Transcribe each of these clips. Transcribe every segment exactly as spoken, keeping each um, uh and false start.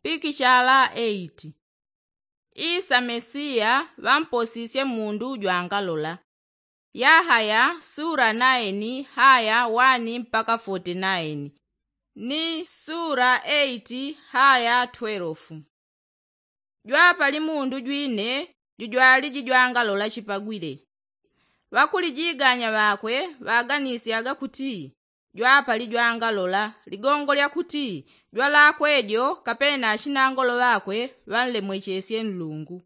Pikichala eiti. Isa mesiya ŵamposisye mundu jwangalola. Yahaya sura naini haya wani mpaka foti naini, ni sura eiti haya twelofu. Jwapali mundu jwine jujwaliji jwangalola chipagwile. Ŵakulijiganya ŵakwe ŵaganisyaga kuti jwapali jwangalola ligongo lya kuti jwalakwe jo kapena ashinangolo ŵakwe ŵanlemwechesye nlungu.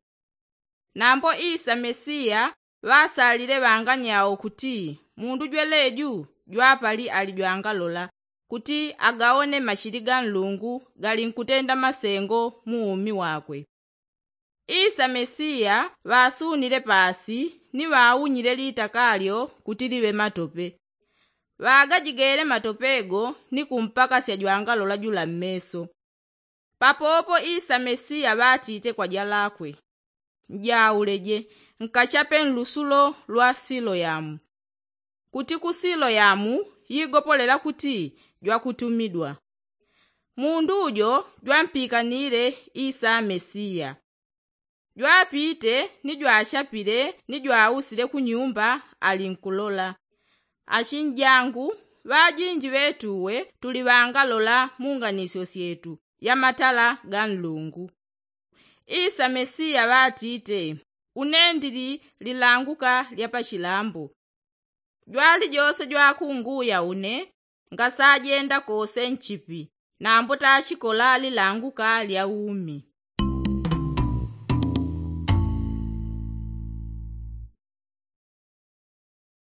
Nambo isa mesiya ŵasalile ŵanganyao kuti mundu jweleju jwapali ali jwangalola kuti agaone machili ga nlungu galinkutenda masengo mu umi wakwe. Isa mesiya ŵasunile pasi ni ŵaunyile litaka lyo kuti liŵe matope. Ŵagajigele matope go ni kumpakasya jwangalola jula mmeso. Papopo isa mesiya ŵatite kwa jalakwe, njauleje nkachape nlusulo lwa siloyamu. Kuti ku siloyamu yigopolela kuti jwakutumidwa. Mundu jo jwampikanile isa mesiya. Jwapite ni jwachapile ni jwausile ku nyumba alinkulola. Achinjangu ŵajinji ŵetuwe tuli ŵangalola mu nganisyo syetu ya matala ga nlungu. Isa mesiya ŵatite, une ndili lilanguka lya pachilambo. Jwalijose jwakunguya une ngasajenda kose nchipi nambo tachikola lilanguka lya umi.